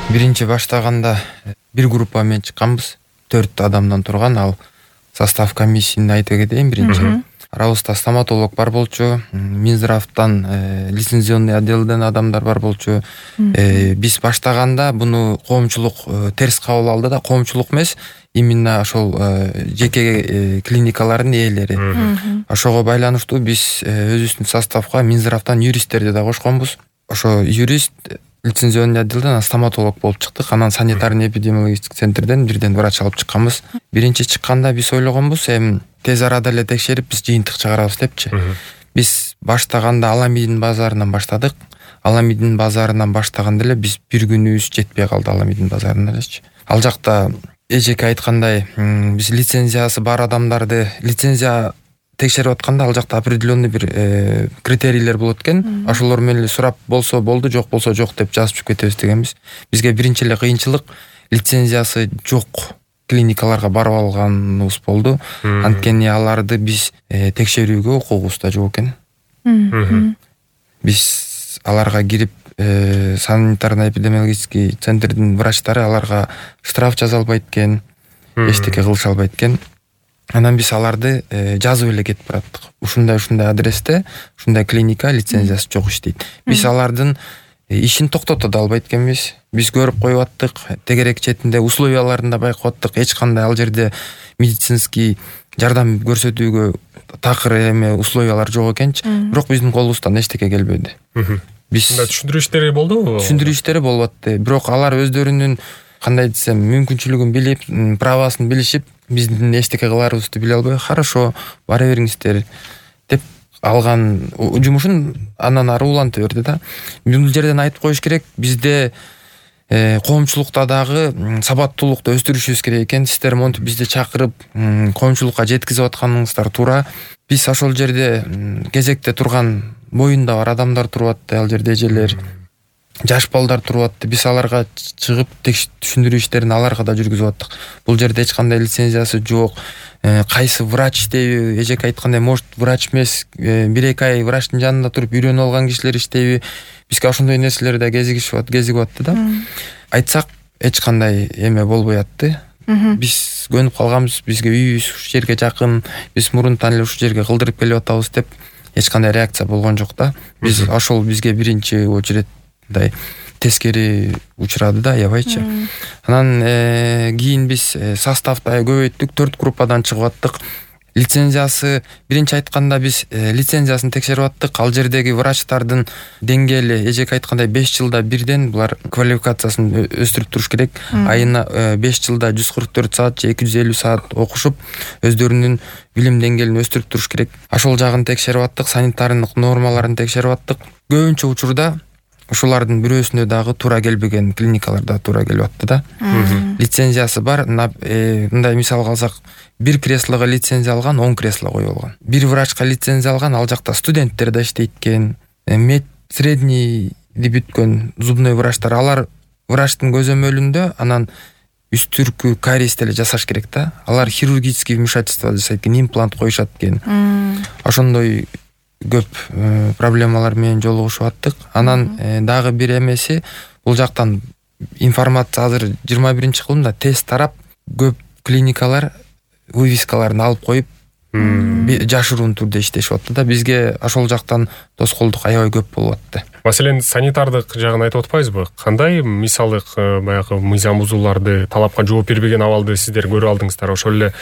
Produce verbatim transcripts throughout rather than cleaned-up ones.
Биринчи баштаганда бир группа менен чыкканбыз. төрт адамдан турган, ал состав комиссияны айтып кетейин. Биринчи арабызда стоматолог бар болчу, Минздравдан лицензионный отделден адамдар бар болчу. Биз баштаганда буну коомчулук терс кабыл алды да, коомчулук эмес, именно ошол жеке клиникалардын ээлери. Ошого байланыштуу биз өзүбүздүн составга Минздравдан юристтерди да кошконбуз. Ошо юрист лицензионный отделден стоматолог болуп чыктык. Анан санитарный эпидемиологический центрден бирден врач алып чыкканбыз. Биринчи чыкканда биз ойлогонбуз, эми тез арада эле текшерип биз жыйынтык чыгарабыз депчи. Биз баштаганда Аламидин базарынан баштадык. Аламидин базарынан баштаганда эле биз бир күнүбүз жетпей калды Аламидин базарына элечи. Ал жакта эжеке айткандай, биз лицензиясы бар адамдарды лицензия текшерип атканда ал жакта определенный бир критерийлер болот экен. Ошолор менен эле сурап болсо болду, жок болсо жок деп жазып чыгып кетебиз дегенбиз. Бизге биринчи эле кыйынчылык лицензиясы жок клиникаларга барып алганыбыз болду. Анткени аларды биз текшерүүгө укугубуз да жок экен. Биз аларга кирип санитарно-эпидемиологический центрдин врачтары аларга штраф жаза албайт экен, эчтеке кылыша албайт экен. Анан биз аларды жазып эле кетип бараттык. Ушундай ушундай адресте, ушундай клиника лицензиясы жок иштейт. Биз алардын ишин токтото да албайт экенбиз. Биз көрүп коюп аттык, тегерек четинде условияларын да байкап аттык. Эч кандай ал жерде медицинский жардам көрсөтүүгө такыр эме условиялар жок экенчи. Бирок биздин колубуздан эчтеке келбеди. Биз түшүндүрүү иштери болдубу? Түшүндүрүү иштери болуп атты. Бирок алар өздөрүнүн кандай десем, мүмкүнчүлүгүн билип, правасын билишип, биздин эчтеке кыларыбызды биле албай, хорошо, бара бериңиздер деп алган жумушун андан ары уланта берди да. Бул жерден айтып коюш керек, бизде коомчулукта дагы сабаттуулукту өстүрүшүбүз керек экен. Сиздер монтип бизди чакырып, коомчулукка жеткизип атканыңыздар туура. Биз ошол жерде кезекте турган боюнда бар адамдар туруп атты, ал жерде эжелер, жаш балдар туруп атты. Биз аларга чыгып түшүндүрүү иштерин аларга да жүргүзүп аттык. Бул жерде эч кандай лицензиясы жок. Кайсы врач иштейби? Эжеке айткандай, может, врач эмес, бир-эки ай врачтын жанында туруп үйрөнүп алган кишилер иштейби? Бизге ошондой нерселер да кезигишип кезигип атты да. Айтсак, эч кандай эме болбой атты. Биз көнүп калганбыз, бизге үйүбүз ушул жерге жакын, биз мурунтан эле ушул жерге кылдырып келип атабыз деп эч кандай реакция болгон жок да. Биз ошол бизге биринчи очередь мындай тескери учурады да, аябайчы. Анан кийин биз составда көбөйттүк, төрт группадан чыгып аттык. Лицензиясы биринчи айтканда биз лицензиясын текшерип аттык. Ал жердеги врачтардын деңгээли эжеке айткандай беш жылда бирден булар квалификациясын өстүрүп туруш керек. Айына беш жылда жүз кырк төрт саат же эки жүз элүү саат окушуп, өздөрүнүн билим деңгээлин өстүрүп туруш керек. Ошол жагын текшерип аттык, санитардык нормаларын текшерип аттык. Көбүнчө учурда ушулардын бирөөсүнө дагы туура келбеген клиникаларда туура келип атты да. Лицензиясы бар, мындай мисалга алсак, бир креслого лицензия алган, он кресло коюп алган. Бир врачка лицензия алган, ал жакта студенттер да иштейт экен. Мед средний бүткөн зубной врачтар, алар врачтын көзөмөлүндө анан үстүркү кариести эле жасаш керек да. Алар хирургический вмешательство жасайт экен, имплант коюшат экен. Ошондой көп проблемалар менен жолугушуп аттык. Анан дагы бир эмеси, бул жактан информация азыр жыйырма биринчи кылымда тез тарап, көп клиникалар вывескаларын алып коюп, жашыруун түрдө иштешип атты да. Бизге ошол жактан тоскоолдук аябай көп болуп атты. Маселен, санитардык жагын айтып атпайсызбы? Кандай мисалдык баягы мыйзам бузууларды, талапка жооп бербеген абалды сиздер көрүп алдыңыздар? Ошол эле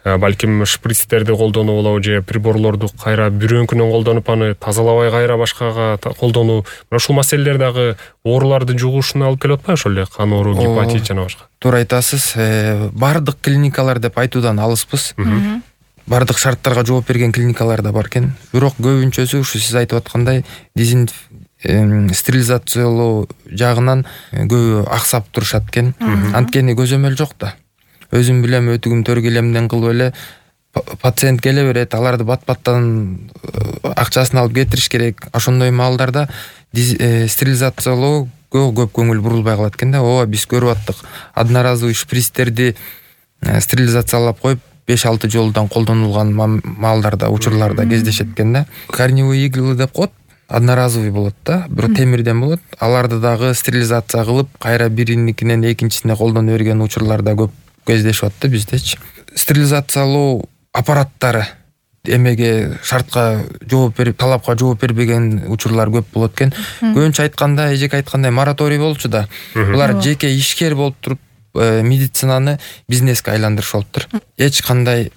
балким шприцтерди колдонуу болобу, же приборлорду кайра бирөөңкүнөн колдонуп аны тазалабай кайра башкага колдонуу. Мына ушул маселелер дагы ооруларды жугушуна алып келип атпайбы? Ошол эле кан оору, гепатит жана башка. Туура айтасыз. Бардык клиникалар деп айтуудан алыспыз. Бардык шарттарга жооп берген клиникалар да бар экен. Бирок көбүнчөсү ушу сиз айтып аткандай стерилизациялоо жагынан көбү аксап турушат экен. Анткени көзөмөл жок да. Өзүм билем, өтүгүм төр келемден кылып эле пациент келе берет, аларды бат-баттан акчасын алып кетириш керек. Ошондой маалдарда стерилизациялоо көп көңүл бурулбай калат экен да. Ооба, биз көрүп аттык. Одноразовый шприцтерди стерилизациялап коюп, беш алты жолдан колдонулган маалдарда, учурларда кездешет экен да. Корневые иглы деп коет. одноразовый болот да, бирок темирден болот. Аларды дагы стерилизация кылып, кайра бириникинен экинчисине колдоно берген учурлар да көп кездешип атты биздечи. Стерилизациялоо аппараттары эмеге шартка жооп берип, талапка жооп бербеген учурлар көп болот экен. Көбүнчө айтканда, эжеке айткандай мораторий болчу да. Булар жеке ишкер болуп туруп медицинаны бизнеске айландырышып атыптыр. Эч кандай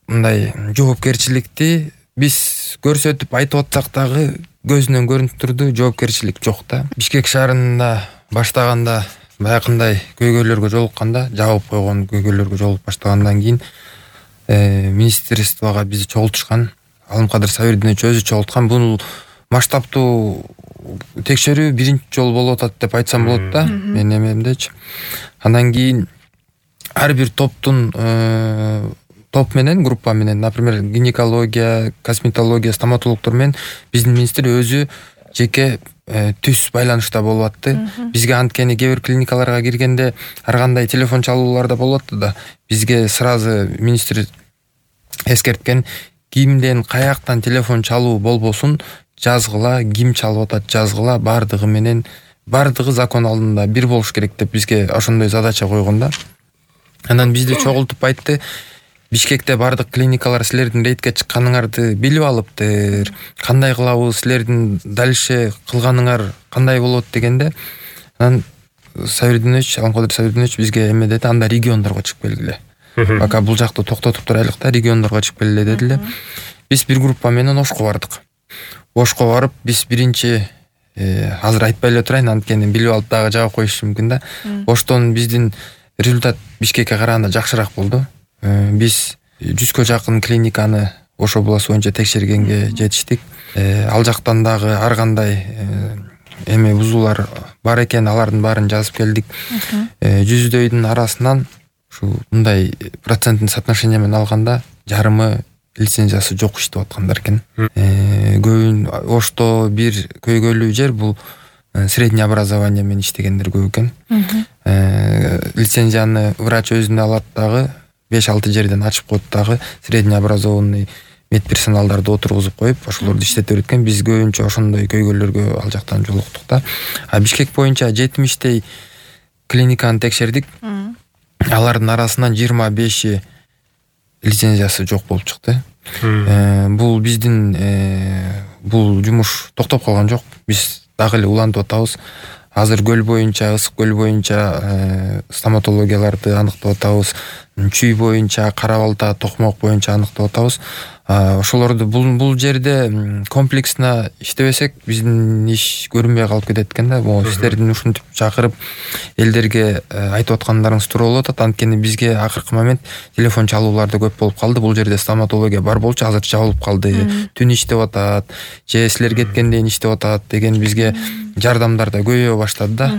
мындай жоопкерчиликти биз көрсөтүп айтып атсак дагы көзүнөн көрүнүп турду, жоопкерчилик жок да. Бишкек шаарында баштаганда баягындай көйгөйлөргө жолукканда, жабып койгон көйгөйлөргө жолугуп баштагандан кийин министерствого бизди чогултушкан. Алымкадыр Сабирдинович өзү чогулткан. Бул масштабтуу текшерүү биринчи жолу болуп атат деп айтсам болот да, менин эмемдечи. Андан кийин ар бир топтун топ менен, группа менен, например, гинекология, косметология, стоматологдор менен биздин министр өзү жеке түз байланышта болуп атты. Бизге анткени кээ бир клиникаларга киргенде ар кандай телефон чалуулар да болот да. Бизге сразу министр эскерткен, кимден каяктан телефон чалуу болбосун, жазгыла, ким чалып атат жазгыла, бардыгы менен, бардыгы закон алдында бир болуш керек деп бизге ошондой задача койгон да. Анан бизди чогултуп айтты, Бишкекте бардык клиникалар силердин рейдке чыкканыңарды билип алыптыр. Кандай кылабыз, силердин дальше кылганыңар кандай болот дегенде, анан Сабирдинович, Алымкадыр Сабирдинович бизге эме деди, анда региондорго чыгып келгиле. Пока бул жакты токтотуп турайлык да, региондорго чыгып келгиле дедиле. Биз бир группа менен Ошко бардык. Ошко барып, биз биринчи азыр айтпай эле турайын, анткени билип алып дагы жаап коюшу мүмкүн да. Оштон биздин результат Бишкекке караганда жакшыраак болду. Биз жүзгө жакын клиниканы Ошо областы боюнча текшергенге жетиштик. Ал жактан дагы ар кандай эме бузуулар бар экен, алардын баарын жазып келдик. Жүздөйдүн арасынан ушу мындай проценттин соотношение менен алганда жарымы лицензиясы жок иштеп аткандар экен. Көбүн Ошто бир көйгөйлүү жер бул среднее образование менен иштегендер көп экен. Лицензияны врач өзүнө алат дагы, беш алты жерден ачып коет дагы, средне образованный медперсоналдарды отургузуп коюп, ошолорду иштете берет экен. Биз көбүнчө ошондой көйгөйлөргө ал жактан жолуктук да. А Бишкек боюнча жетимиштей клиниканы текшердик. Алардын арасынан жыйырма беши лицензиясы жок болуп чыкты. Бул биздин бул жумуш токтоп калган жок. Биз дагы эле улантып атабыз. Азыр көл боюнча, Ысык көл боюнча стоматологияларды аныктап атабыз. Чүй боюнча, Кара Балта, Токмок боюнча аныктап атабыз. Ошолорду бул бул жерде комплексно иштебесек, биздин иш көрүнбөй калып кетет экен да. Могу сиздердин ушинтип чакырып элдерге айтып аткандарыңыз туура болуп атат. Анткени бизге акыркы момент телефон чалуулар да көп болуп калды. Бул жерде стоматология бар болчу, азыр жабылып калды. Түн иштеп атат, же силер кеткенден иштеп атат деген бизге жардамдар да көбөйө баштады да.